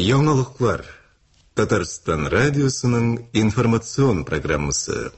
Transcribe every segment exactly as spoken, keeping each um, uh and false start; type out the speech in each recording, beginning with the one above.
Яңалыклар. Татарстан радиосының информацион программасы.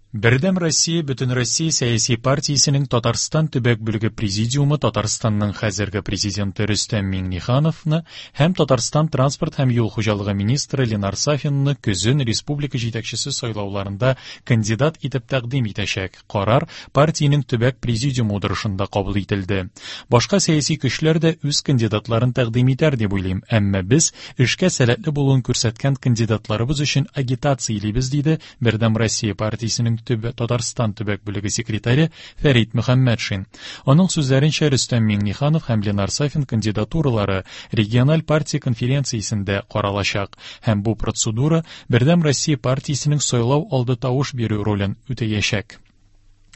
Бердәм Россия Бөтенроссия сәяси партиясенең Татарстан төбәк бүлеге президиумы Татарстанның хәзерге президенты Рөстәм Миңнехановны һәм Татарстан транспорт һәм юл хуҗалыгы министры Ленар Сафинны көзен республика җитәкчесе сайлауларында кандидат итеп тәкъдим итәчәк. Карар партиянең төбәк президиумы утырышында кабул ителде. Башка сәяси көчләр дә үз кандидатларын тәкъдим итәр дип уйлыйм, әмма без эшкә сәләтле булуын күрсәткән кандидатларыбыз өчен агитациялибез, диде Бердәм Россия партиясенең Төбә Татарстан төбәк бүлеге секретаре Фәрит Мөхәммәтшин. Аның сүзләренчә, Рөстәм Миңнеханов һәм Ленар Сафин кандидатуралары региональ партия конференциясендә каралачак һәм бу процедура Бердәм Россия партиясенең сайлау алды тавыш бирү ролен үтәячәк.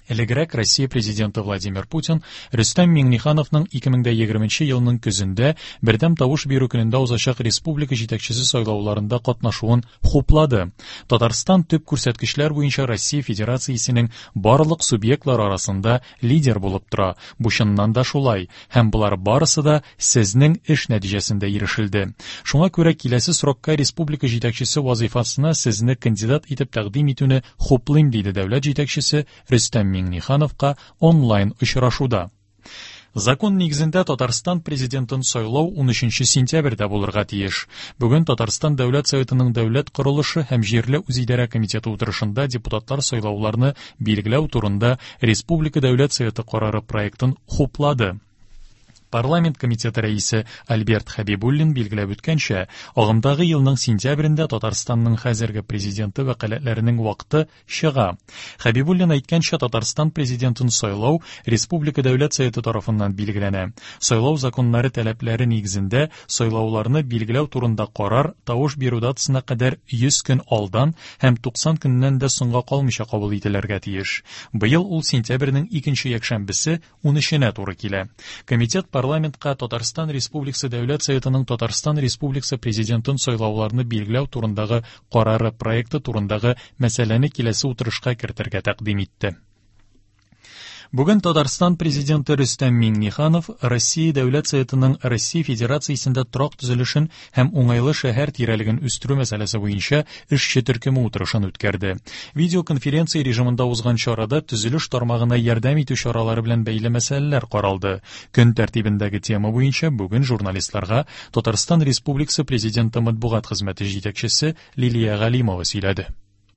Элегрәк Россия президенты Владимир Путин Рөстәм Миңнехановның ике мең егерменче елның көзендә бердәм тавыш бирү көнендә узачак республика җитәкчесе сайлауларында катнашуын хуплады. Татарстан төп күрсәткечләр буенча Россия Федерациясенең барлык субъектлары арасында лидер булып тора. Бу чыннан да шулай, һәм болар барысы да сезнең эш нәтиҗәсендә ирешелде. Шуңа күрә киләсе срокка республика җитәкчесе вазифасына сезне кандидат итеп тәкъдим итүне хуплыйм, диде дәүләт җитәкчесе Рөстәм Миңнехановка онлайн очрашуда. Закон нигезендә Татарстан президентын сайлау унөченче сентябрьдә булырга тиеш. Бүген Татарстан Дәүләт Советының Дәүләт корылышы һәм җирле үзидарә комитеты утырышында депутатлар сайлауларны билгеләү турында Республика Дәүләт Советы карары проектын хуплады. Парламент комитеты рәисе Альберт Хәбибуллин билгеләп үткәнчә, агымдагы елның сентябрендә Татарстанның хәзерге президенты вәкаләтләренең вакыты чыга. Хәбибуллин әйткәнчә, Татарстан президентын сайлау Республика Дәүләт Советы тарафыннан билгеләнә. Сайлау законнары таләпләре нигезендә сайлауларны билгеләү турында карар тавыш бирү датасына кадәр йөз көн алдан һәм туксан көннән дә соңга калмыйча кабул ителергә тиеш. Быел ул сентябрьнең икенче якшәмбесе унөченә туры килә. Комитет парламентка Татарстан Республикасы Дәүләт Советының Татарстан Республикасы президентын сайлауларны билгеләү турындагы карары проекты турындагы мәсьәләне киләсе утырышка кертергә тәкъдим итте. Бүген Татарстан президенты Рөстәм Миңнеханов Россия Дәүләт Советының Россия Федерациясендә торак төзелешен һәм уңайлы шәһәр тирәлеген үстерү мәсьәләсе буенча эшче төркеме утырышын үткәрде. Видеоконференция режимында узган чарада төзелеш тармагына ярдәм итү чаралары белән бәйле мәсьәләләр каралды. Көн тәртибендәге тема буенча бүген журналистларга Татарстан Республикасы президенты матбугат хезмәте җитәкчесе Лилия Галимова сөйләде.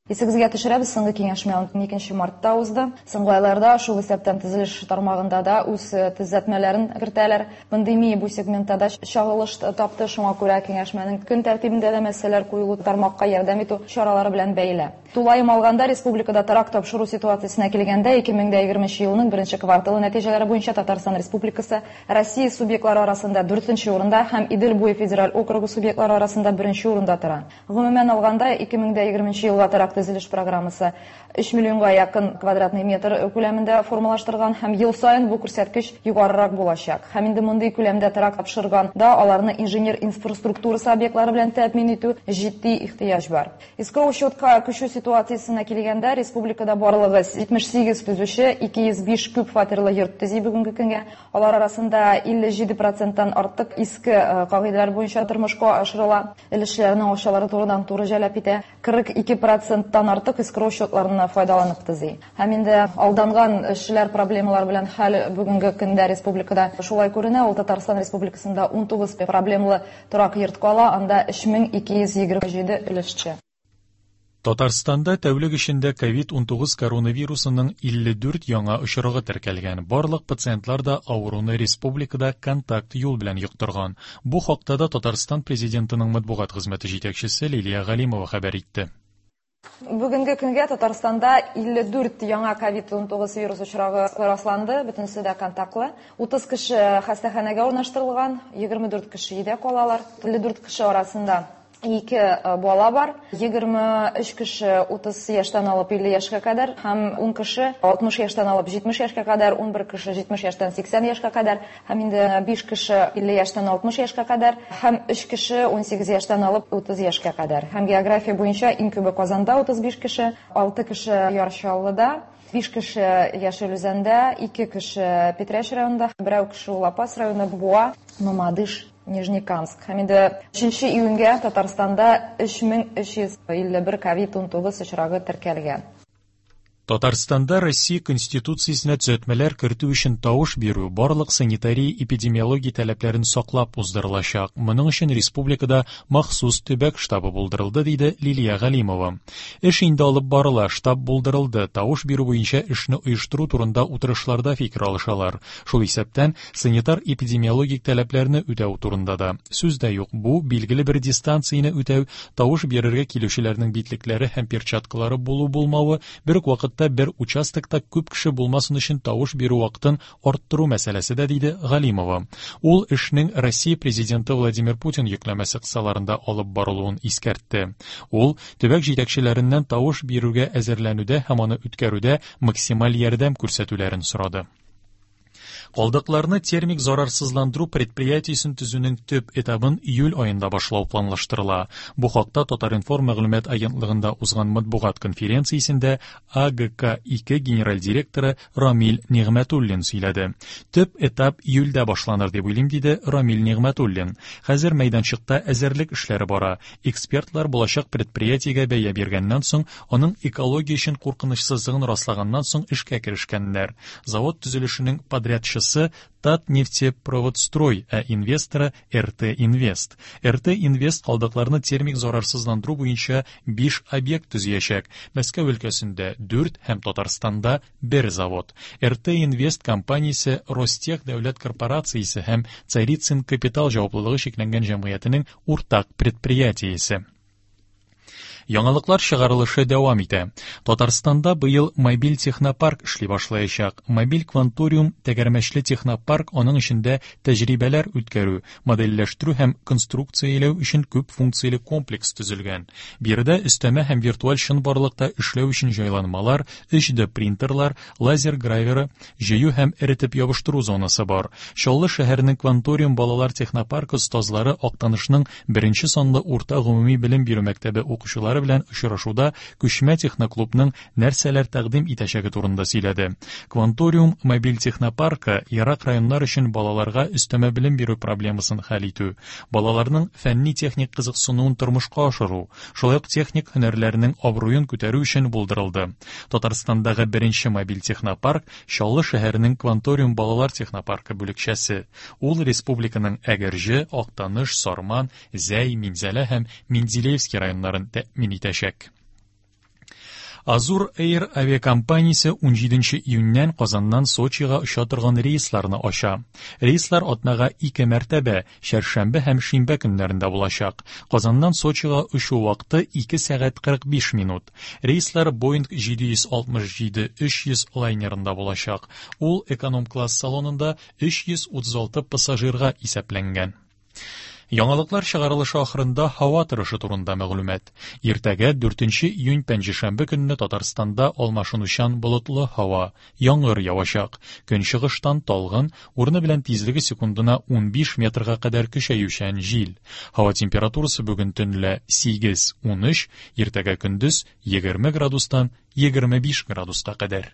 Исегезгә төшерәбез, соңгы киңәшмә уникенче мартта узды. Соңгы айларда шул исәптән төзелеш тармагында да үз төзәтмәләрен кертәләр. Пандемия бу сегментта да чагылыш тапты, шуңа күрә киңәшмәнең көн тәртибендә дә мәсьәләләр куелу тармакка ярдәм итү чаралары белән бәйле. Тулаем алганда республикада торак тапшыру ситуациясенә килгәндә ике мең егерменче елның беренче кварталы нәтиҗәләре буенча Татарстан Республикасы Россия субъектлары арасында дүртенче урында һәм Идел буе федераль округы субъектлары арасында беренче урында тора. Гомумән алганда ике мең егерменче елга торак төзелеш программасы өч миллионга якын квадратный метр күләмендә формалаштырган һәм ел саен бу күрсәткеч югарырак булачак. Һәм инде мондый күләмдә торак тапшырганда аларны инженер инфраструктурасы объектлары белән тәэмин итү җитди ихтыяҗ бар. Эскроу счетка күчү ситуациясенә килгәндә республикада барлыгы җитмеш сигез төзүче ике йөз биш күп фатирлы йорт төзи бүгенге көнгә. Алар арасында илле җиде проценттан артык иске кагыйдәләр буенча тормышка ашырыла. Өлешләрнең акчалары турыдан-туры җәлеп итә. Кырык ике проценттан артык эскроу счетларына файдаланып төзи. Һәм инде алданган эшчеләр проблемалар белән хәл бүгенге көндә республикада шулай күренә. Ул Татарстан Республикасында унтугыз проблемалы торак йорт кала, анда өч мең ике йөз егерме җиде өлешче. Татарстанда тәүлек эчендә ковид унтугыз коронавирусының илле дүрт яңа очрагы теркәлгән. Барлык пациентлар да авыруны республикада контакт юл белән йоктырган. Бу хакта да Татарстан президентының матбугат хезмәте җитәкчесе Лилия Галимова хәбәр итте. Бүгенге көнгә Татарстанда илле дүрт яңа ковид унтугыз вирус очрагы расланды, бөтенесе дә контактлы. Утыз кеше хастаханәгә урнаштырылган, егерме дүрт кеше өйдә калалар. Илле дүрт кеше арасында ике бала бар, егерме өч кеше утыз яшьтән алып илле яшькә кадәр һәм ун кеше алтмыш яшьтән алып җитмеш яшькә кадәр, унбер кеше җитмеш яшьтән сиксән яшькә кадәр һәм инде биш кеше илле яшьтән алтмыш яшькә кадәр һәм өч кеше унсигез яшьтән алып утыз яшькә кадәр. Һәм география буенча иң күбе Казанда утыз биш кеше, алты кеше Яр Чаллыда, биш кеше Яшел Үзәндә, ике кеше Питрәч районында, берәү кеше Лапас районы, Буа, Мамадыш. Нижнекамск. Һәм инде өченче июньгә Татарстанда өч мең өч йөз илле бер ковид унтугыз очрагы теркәлгән. Татарстанда Россия Конституциясенә төзәтмәләр кертү өчен тавыш бирү барлык санитария-эпидемиология таләпләрен саклап уздырылачак. Моның өчен республикада махсус төбәк штабы булдырылды, диде Лилия Галимова. Эш инде алып барыла, штаб булдырылды. Тавыш бирү буенча эшне оештыру турында утырышларда фикер алышалар. Шул исәптән санитар-эпидемиологик таләпләрне үтәү турында да. Сүз дә юк, бу билгеле бер дистанцияне үтәү, тавыш бирергә килүчеләрнең битлекләре һәм перчаткалары булу-булмавы, бер үк вакытта бер участокта күп кеше булмасын өчен тавыш бирү вакытын арттыру мәсьәләсе дә, диде Галимова. Ул эшнең Россия президенты Владимир Путин йөкләмәсе кысаларында алып барылуын искәртте. Ул төбәк җитәкчеләреннән тавыш бирүгә әзерләнүдә һәм аны үткәрүдә максималь ярдәм күрсәтүләрен сорады. Калдыкларны термик зарарсызландыру предприятиесен төзүнең төп этабын июль аенда башлау планлаштырыла. Бу хакта Татар-информ мәгълүмат агентлыгында узган матбугат конференциясендә А Г К ике генераль директоры Рамил Нигъмәтуллин сөйләде. Төп этап июльдә башланыр дип уйлыйм, диде Рамил Нигъмәтуллин. Хәзер мәйданчыкта әзерлек эшләре бара. Экспертлар булачак предприятиегә бәя биргәннән соң, аның экология өчен куркынычсызлыгын раслаганнан соң эшкә керешкәннәр. Завод төзелешенең подрядчысы Татнефтепроводстрой, ә инвесторы Р Т Инвест. Р Т Инвест калдыкларны термик зарарсызландыру буенча биш объект төзиячәк. Мәскәү өлкәсендә дүрт һәм Татарстанда бер завод. Р Т Инвест компаниясе Ростех дәүләт корпорациясе һәм Царицын капитал җаваплылыгы чикләнгән җәмгыятенең уртак предприятиесе. Яңалыклар чыгарылышы дәвам итә. Татарстанда быел мобиль технопарк эшли башлаячак. Мобиль кванториум тәгәрмәчле технопарк аның эчендә тәҗрибәләр үткәрү, модельләштерү һәм конструкцияләү өчен күп функцияле комплекс төзелгән. Биредә өстәмә һәм виртуаль чынбарлыкта эшләү өчен җайланмалар, өч Д принтерлар, лазер граверы, җыю һәм эретеп ябыштыру зонасы бар. Чаллы шәһәренең кванториум балалар технопаркы остазлары Актанышның беренче санлы урта гомуми белем бирү мәктәбе укучылары белән очрашуда күчмә техноклубның нәрсәләр тәкъдим итәчәге турында сөйләде. Кванториум мобиль технопаркы ерак районнар өчен балаларга өстәмә белем бирү проблемасын хәл итү, балаларның фәнни-техник кызыксынуын тормышка ашыру, шулай ук техник һөнәрләренең абруен күтәрү өчен булдырылды. Татарстандагы беренче мобиль технопарк Чаллы шәһәренең Кванториум балалар технопаркы бүлекчәсе. Ул республиканың Әгерҗе, Актаныш, Сарман, Зәй, Минзәлә һәм Менделеевский районнарын тәэмин итәчәк. Азур Air авиакомпаниясе унҗиденче июньнән Казаннан Сочига оча торган рейсларны ача. Рейслар атнага ике мәртәбә, чәршәмбе һәм шимбә көннәрендә булачак. Казаннан Сочига очу вакыты ике сәгать кырык биш минут. Рейслар Boeing җиде йөз алтмыш җиде өч йөз лайнерында булачак. Ул эконом-класс салонында өч йөз утыз алты пассажирга исәпләнгән. Яңалыклар чыгарылышы ахырында һава торышы турында мәгълүмат. Иртәгә дүртенче июнь пәнҗешәмбе көнне Татарстанда алмашынучан болытлы һава, яңгыр явачак. Көнчыгыштан талгын, урыны белән тизлеге секундына унбиш метрга кадәр көчәючән җил. Һава температурасы бүген төнлә сигез-унөч, иртәгә көндез егерме градустан егерме биш градуска кадәр.